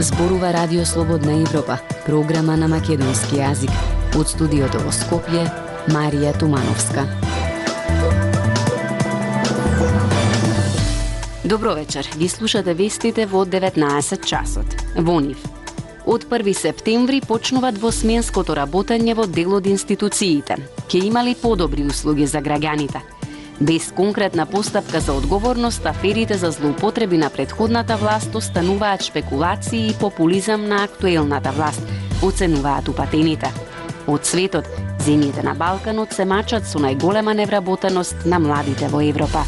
Зборува Радио Слободна Европа, програма на македонски јазик. Од студиото во Скопје, Марија Тумановска. Добро вечер, ги слушате вестите во 19 часот. Во нив. Од 1 септември почнува двосменското работење во дел од институциите. Ке имали подобри услуги за граѓаните. Без конкретна постапка за одговорност, аферите за злоупотреби на претходната власт остануваат шпекулации и популизам на актуелната власт, оценуваат упатените. Од светот, земјите на Балканот се мачат со најголема невработеност на младите во Европа.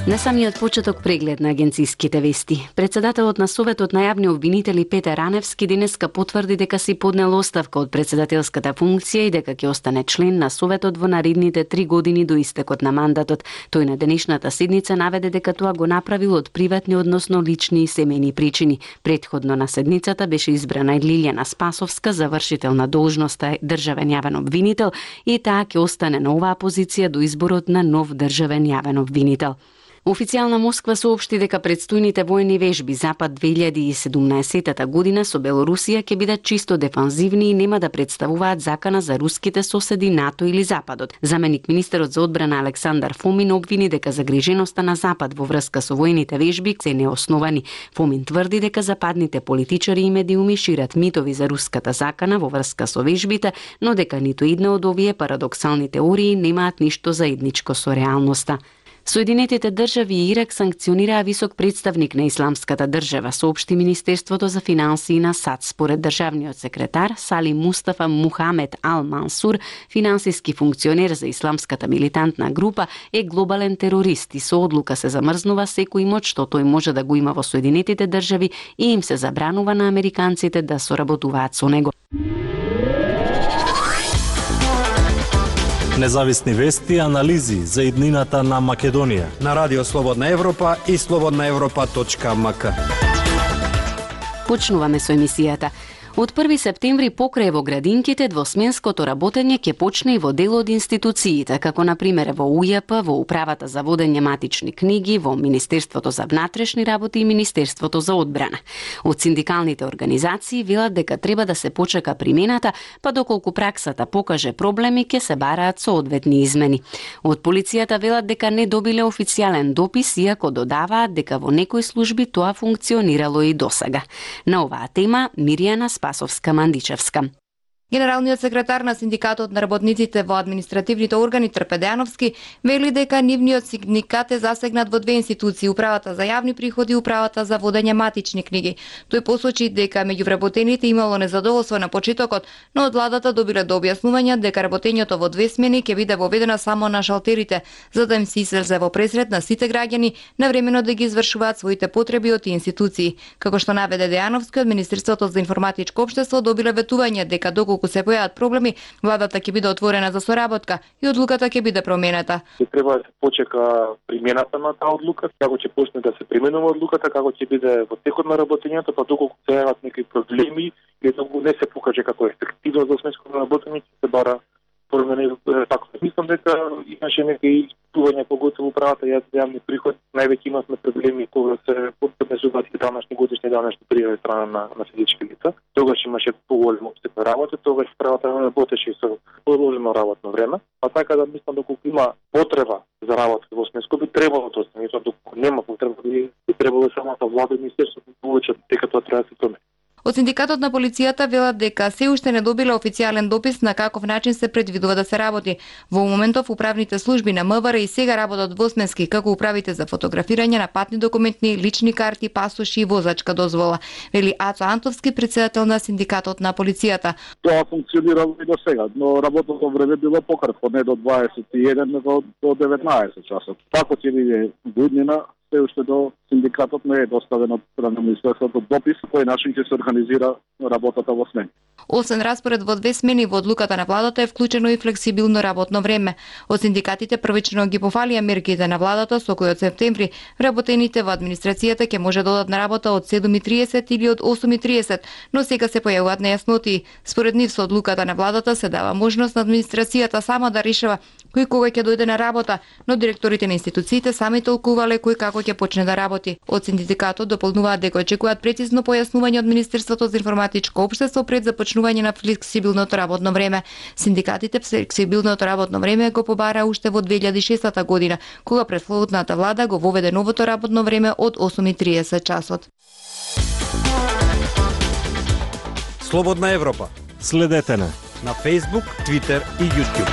На самиот почеток преглед на агенциските вести. Председателот на Советот на јавни обвинители Петер Раневски денеска потврди дека си поднел оставка од председателската функција и дека ќе остане член на Советот во наредните 3 години до истекот на мандатот. Тој на денешната седница наведе дека тоа го направил од приватни, односно лични и семејни причини. Претходно на седницата беше избрана и Лилјана Спасовска за вршител на должноста државен јавен обвинител и таа ќе остане на оваа позиција до изборот на нов државен јавен обвинител. Официјална Москва соопшти дека предстојните војни вежби Запад 2017 година со Белорусија ќе бидат чисто дефанзивни и нема да представуваат закана за руските соседи НАТО или Западот. Заменик министерот за одбрана Александар Фомин обвини дека загриженоста на Запад во врска со војните вежби се неосновани. Фомин тврди дека западните политичари и медиуми шират митови за руската закана во врска со вежбите, но дека ниту една од овие парадоксални теории немаат ништо заедничко со реалноста. Соединетите држави и Ирак санкционираа висок представник на Исламската држава, соопшти Министерството за финансии на САД. Според државниот секретар Салим Мустафа Мухамед Ал Мансур, финансиски функционер за исламската милитантна група е глобален терорист и со одлука се замрзнува секој имот што тој може да го има во Соединетите држави и им се забранува на американците да соработуваат со него. Независни вести и анализи за иднината на Македонија на Радио Слободна Европа и slobodnaevropa.mk. Почнуваме со емисијата. Од 1 септември покрај во градинките двосменското работење ќе почне и во дел од институциите, како на пример во УЈП, во Управата за водење матични книги, во Министерството за внатрешни работи и Министерството за одбрана. Од синдикалните организации велат дека треба да се почека примената, па доколку праксата покаже проблеми, ќе се бараат соодветни измени. Од полицијата велат дека не добиле официјален допис, иако додаваат дека во некои служби тоа функционирало и досега. На оваа тема Мирјана Спасовска-Мандичевска. Генералниот секретар на Синдикатот на работниците во административните органи Трпе Дејановски вели дека нивниот синдикат е засегнат во две институции, Управата за јавни приходи и Управата за водење матични книги. Тој посочи дека меѓу вработените имало незадоволство на почетокот, но од владата добиле до објаснување дека работењето во две смени ќе биде воведено само на шалтерите, за да им се излезе во пресред на сите граѓани навремено да ги извршуваат своите потреби од институции. Како што наведе Дејановски, од Министерството за информатичко општество добиле ветување дека доколку се појават проблеми, владата ќе биде отворена за соработка и одлуката ќе биде променета. Треба да се почека примената на таа одлука, како ќе почне да се применува одлуката, како ќе биде во текот на работењето, па доколку се јават некои проблеми или доколку не се покаже како ефективно за сменското работење, ќе се бара промени. Така мислам дека имаше некои тување поготово Управата јавни приходи. Највеќе имавме проблеми кога се поднесуваат и данашни годишни данашни пријави страна на физички лица. Тогаш имаше поголем опсег на работа, тогаш Управата работеше и со продолжено работно време. А така да мислам доколку има потреба за работа во сменско би требало тоа, доколку нема потреба би требало самата влада и министерството да получат дека тоа треба да се промени. Од Синдикатот на полицијата велат дека се уште не добиле официјален допис на каков начин се предвидува да се работи. Во моментов управните служби на МВР и сега работат двосменски, како управите за фотографирање на патни документи, лични карти, пасоши и возачка дозвола, вели Ацо Антовски, председател на Синдикатот на полицијата. Тоа функционирало и до сега, но работното време било пократко, не до 21, него до 19 часот. Тако ќе биде година се уште до синдикатот не е доставен од страна на Министерството допис кој начин ќе се организира работата во смени. Освен распоред во 2 смени во одлуката на владата е вклучено и флексибилно работно време. Од синдикатите првично ги пофалија мерките на владата со кои од септември вработените во администрацијата ќе може да одат на работа од 7:30 или од 8:30, но сега се појавуваат нејасноти. Според нив со одлуката на владата се дава можност на администрацијата сама да решава кој кога ќе дојде на работа, но директорите на институциите сами толкувале кој како ќе почне да работи. Од синдикатот дополнуваат дека очекуваат прецизно појаснување од Министерството за информатичко општество пред започнување на флексибилното работно време. Синдикатите флексибилното работно време го побара уште во 2006 година, кога претходната влада го воведе новото работно време од 8:30 часот. Слободна Европа. Следете на Facebook, Twitter и YouTube.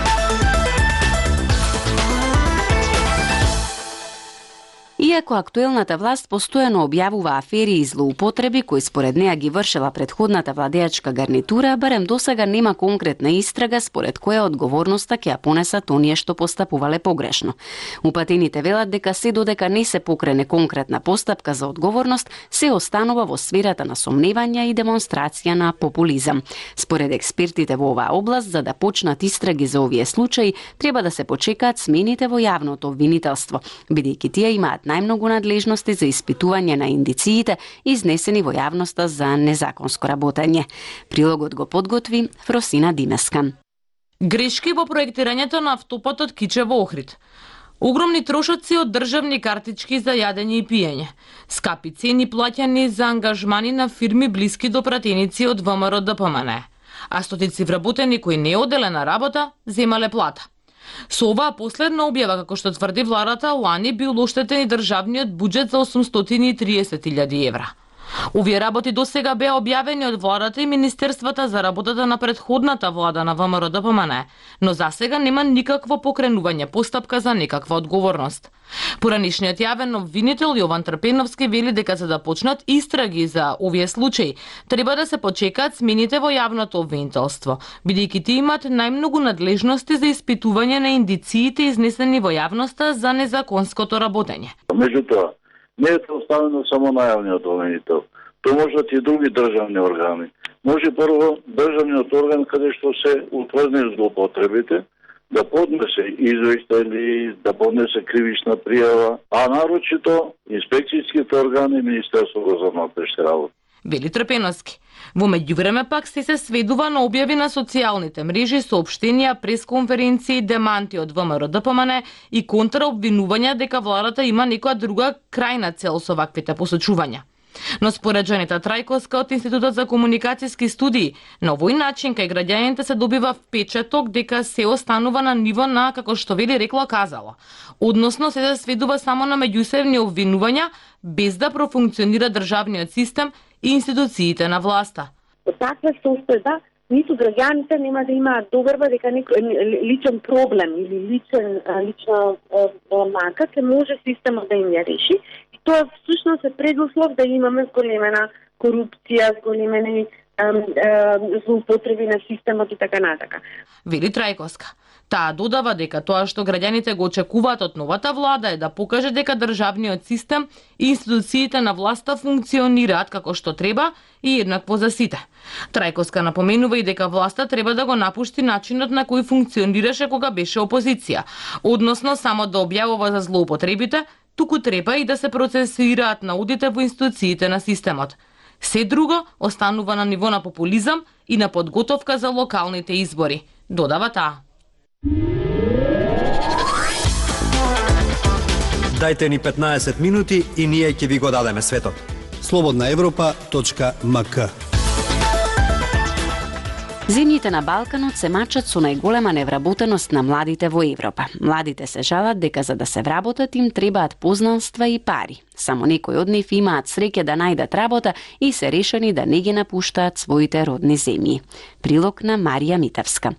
Иако актуелната власт постојано објавува афери и злоупотреби кои според неа ги вршела претходната владеачка гарнитура, барем досега нема конкретна истрага според која одговорноста ќе ја понесат оние што постапувале погрешно. Упатените велат дека се додека не се покрене конкретна постапка за одговорност, се останува во сферата на сомневања и демонстрација на популизам. Според експертите во оваа област, за да почнат истраги за овие случаи, треба да се почекаат смените во јавното обвинителство, бидејќи тие имаат најмногу надлежности за испитување на индициите изнесени во јавноста за незаконско работење. Прилогот го подготви Фросина Димеска. Грешки во проектирањето на автопатот Кичево Охрид. Огромни трошоци од државни картички за јадење и пиење. Скапи цени плаќани за ангажмани на фирми блиски до пратеници од ВМРО ДПМН. А стотици вработени кои не оделе на работа, земале плата. Со оваа последна објава, како што тврди владата, лани бил оштетен и државниот буџет за 830.000 евра. Овие работи досега беа објавени од владата и министерствата за работата на претходната влада на ВМРО ДПМН, но засега нема никакво покренување постапка за некаква одговорност. Поранишниот јавен обвинител Јован Трпеновски вели дека за да почнат истраги за овие случаи, треба да се почекаат смените во јавното обвинителство, бидејќи тие имаат најмногу надлежности за испитување на индициите изнесени во јавноста за незаконското работење. Меѓутоа, не е оставено само на јавниот обвинител. То можат и други државни органи. Може прво државниот орган каде што се утврдени злоупотребите да поднесе извештај, да поднесе кривична пријава, а нарочито инспекцијските органи и Министерството за внатрешни работи. Вели Трпеновски. Во меѓувреме пак се сведува на објави на социјалните мрежи, соопштенија, пресконференции, деманти од ВМРО ДПМН и контраобвинувања дека владата има некоја друга крајна цел со ваквите посочувања. Но според Джанита Трајковска од Институтот за комуникацијски студии, на овој начин кај граѓаните се добива впечаток дека се останува на ниво на, како што вели рекла казала. Односно се сведува само на меѓусебни обвинувања, без да профункционира државниот систем и институциите на власта. Од таква состојба, ниту граѓаните нема да имаат доверба дека некој личен проблем или лична мака ќе може системот да им ја реши. И тоа всушност е предуслов да имаме зголемена корупција, зголемени злоупотреби на системот и така натака. Вели Трајковска. Таа додава дека тоа што граѓаните го очекуваат од новата влада е да покаже дека државниот систем и институциите на власта функционираат како што треба и еднакво за сите. Трајковска напоменува и дека власта треба да го напушти начинот на кој функционираше кога беше опозиција, односно само да објавува за злоупотребите, туку треба и да се процесираат наудите во институциите на системот. Се друго останува на ниво на популизам и на подготовка за локалните избори, додава таа. Дајте ни 15 минути и ние ќе ви го дадеме светот. slobodnaevropa.mk. Земјите на Балканот се мачат со најголема невработеност на младите во Европа. Младите се жалат дека за да се вработат им требаат познанства и пари. Само некои од нив имаат среќа да најдат работа и се решени да не ги напуштаат своите родни земји. Прилог на Марија Митевска.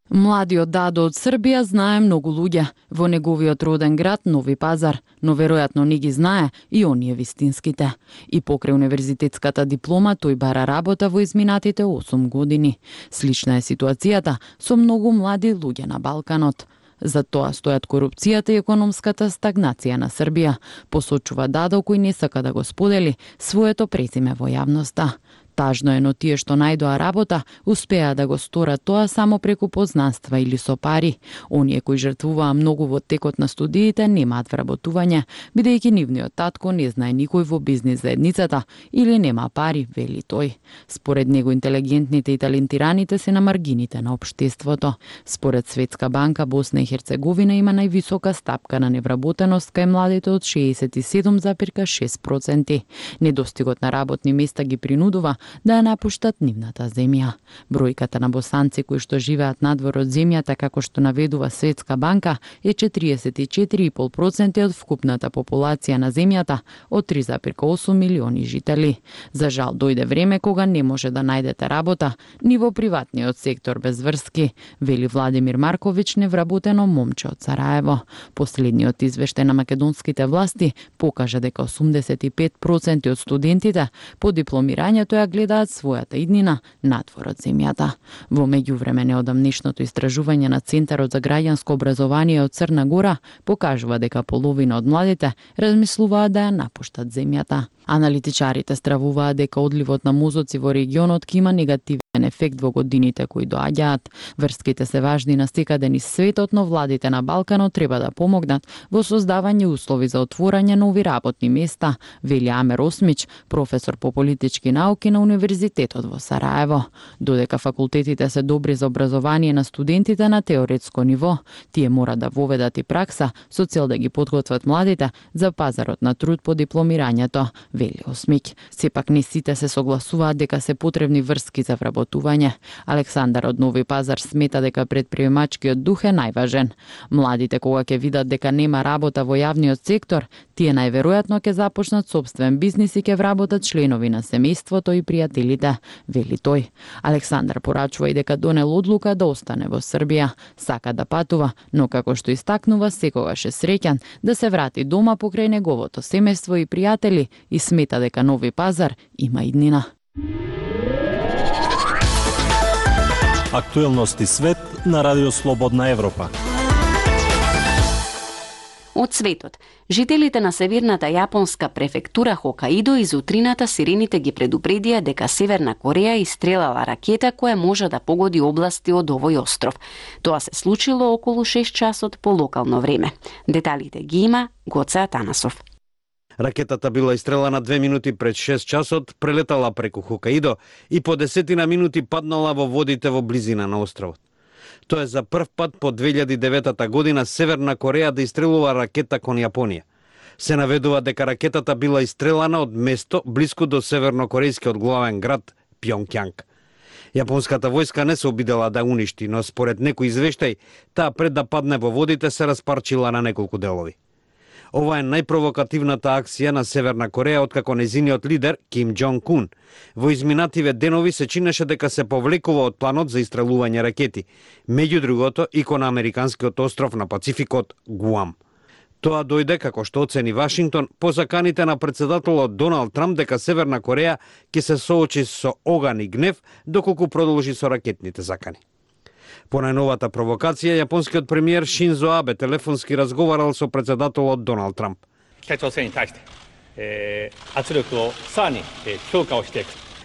Младиот Дадо од Србија знае многу луѓе во неговиот роден град Нови Пазар, но веројатно не ги знае и оние вистинските. И покрај универзитетската диплома тој бара работа во изминатите 8 години. Слична е ситуацијата со многу млади луѓе на Балканот. За тоа стојат корупцијата и економската стагнација на Србија, посочува Дадо, кој не сака да го сподели своето презиме во јавноста. Тажно е, но тие што најдоа работа, успеа да го сторат тоа само преку познанства или со пари. Оние кои жртвуваа многу во текот на студиите немаат вработување, бидејќи нивниот татко не знае никој во бизнис заедницата или нема пари, вели тој. Според него интелигентните и талентираните се на маргините на општеството. Според Светска банка, Босна и Херцеговина има највисока стапка на невработеност кај младите од 67,6%. Недостигот на работни места ги принудува да ја напуштат нивната земја. Бројката на босанци кои што живеат надвор од земјата, како што наведува Светска банка, е 44,5% од вкупната популација на земјата од 3,8 милиони жители. За жал дојде време кога не може да најдете работа ни во приватниот сектор без врски, вели Владимир Марковиќ, невработено момче од Сараево. Последниот извештај на македонските власти покажа дека 85% од студентите по дипломирањето ја гледаат својата иднина надвор од земјата. Во меѓувреме, неодамнешното истражување на Центарот за граѓанско образование од Црна Гора покажува дека половина од младите размислуваат да ја напуштат земјата. Аналитичарите стравуваат дека одливот на мозоци во регионот ќе има негативен ефект во годините кои доаѓаат. Врските се важни на секаде низ светот, но владите на Балканот треба да помогнат во создавање услови за отворање нови работни места, вели Амер Осмич, професор по политички науки на Универзитетот во Сараево. Додека факултетите се добри за образование на студентите на теоретско ниво, тие мора да воведат и пракса со цел да ги подготват младите за пазарот на труд по дипломирањето, вели Осмич. Сепак не сите се согласуваат дека се потребни врски за вработување. Александар од Нови Пазар смета дека предприемачкиот дух е најважен. Младите кога ќе видат дека нема работа во јавниот сектор, тие најверојатно ќе започнат сопствен бизнис и ќе вработат членови на семејството и пријателите, вели тој. Александар порачува и дека донел одлука да остане во Србија. Сака да патува, но како што истакнува, секогаш е среќан да се врати дома покрај неговото семејство и пријатели и смета дека Нови Пазар има иднина. Актуелности свет на Радио Слободна Европа. Од светот. Жителите на северната јапонска префектура Хокаидо из утрината сирените ги предупредија дека Северна Кореја истрелала ракета која може да погоди области од овој остров. Тоа се случило околу 6 часот по локално време. Деталите ги има Гоце Атанасов. Ракетата била истрелана 2 минути пред 6 часот, прелетала преку Хокаидо и по 10 минути паднала во водите во близина на островот. Тоа е за прв пат по 2009 година Северна Кореја да истрелува ракета кон Јапонија. Се наведува дека ракетата била истрелана од место блиску до севернокорејскиот главен град Пјонкјанг. Јапонската војска не се обидела да уништи, но според некој извештај, таа пред да падне во водите се распарчила на неколку делови. Ова е најпровокативната акција на Северна Кореја откако незиниот лидер Ким Џонг Ун во изминативе денови се чинеше дека се повлекува од планот за истрелување ракети, меѓу другото и кон американскиот остров на Пацификот Гуам. Тоа дојде, како што оцени Вашингтон, по заканите на председателот Доналд Трамп дека Северна Кореја ќе се соочи со оган и гнев доколку продолжи со ракетните закани. По најновата провокација, јапонскиот премиер Шинзо Абе телефонски разговарал со председателот Доналд Трамп.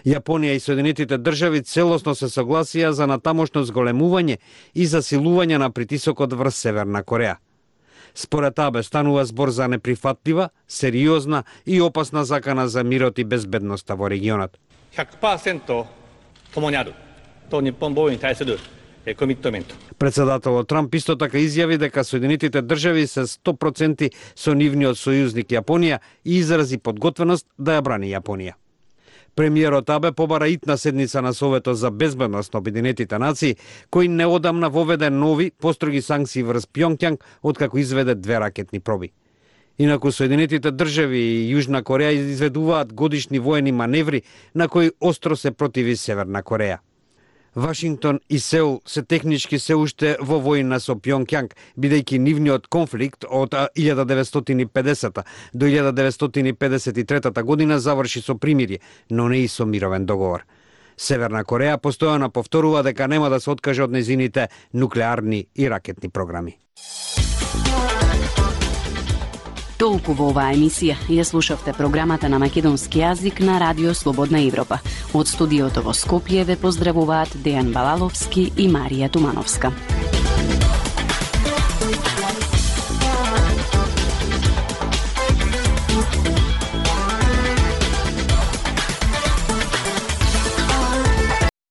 Јапонија и Соединетите држави целосно се согласија за натамошно зголемување и засилување на притисокот врз Северна Кореја. Според Абе станува збор за неприфатлива, сериозна и опасна закана за мирот и безбедноста во регионот. 100% 共にあると日本防衛に対するコミットメント. Председателот Трамп исто така изјави дека Соединетите држави се 100% со нивниот сојузник Јапонија и изрази подготвеност да ја брани Јапонија. Премиерот Абе побара итна седница на Советот за безбедност на Обединетите нации, кој неодамна воведе нови построги санкции врз Пјонкјанг откако изведе 2 ракетни проби. Инаку Соединетите држави и Јужна Кореја изведуваат годишни воени маневри на кои остро се противи Северна Кореја. Вашингтон и Сеул се технички се уште во војна со Пјонкјанг, бидејќи нивниот конфликт од 1950 до 1953 година заврши со примирие, но не и со мировен договор. Северна Кореја постојано повторува дека нема да се откаже од незините нуклеарни и ракетни програми. Толку во оваа емисија. Ја слушавте програмата на македонски јазик на Радио Слободна Европа. Од студиото во Скопје ве поздравуваат Дејан Балаловски и Марија Тумановска.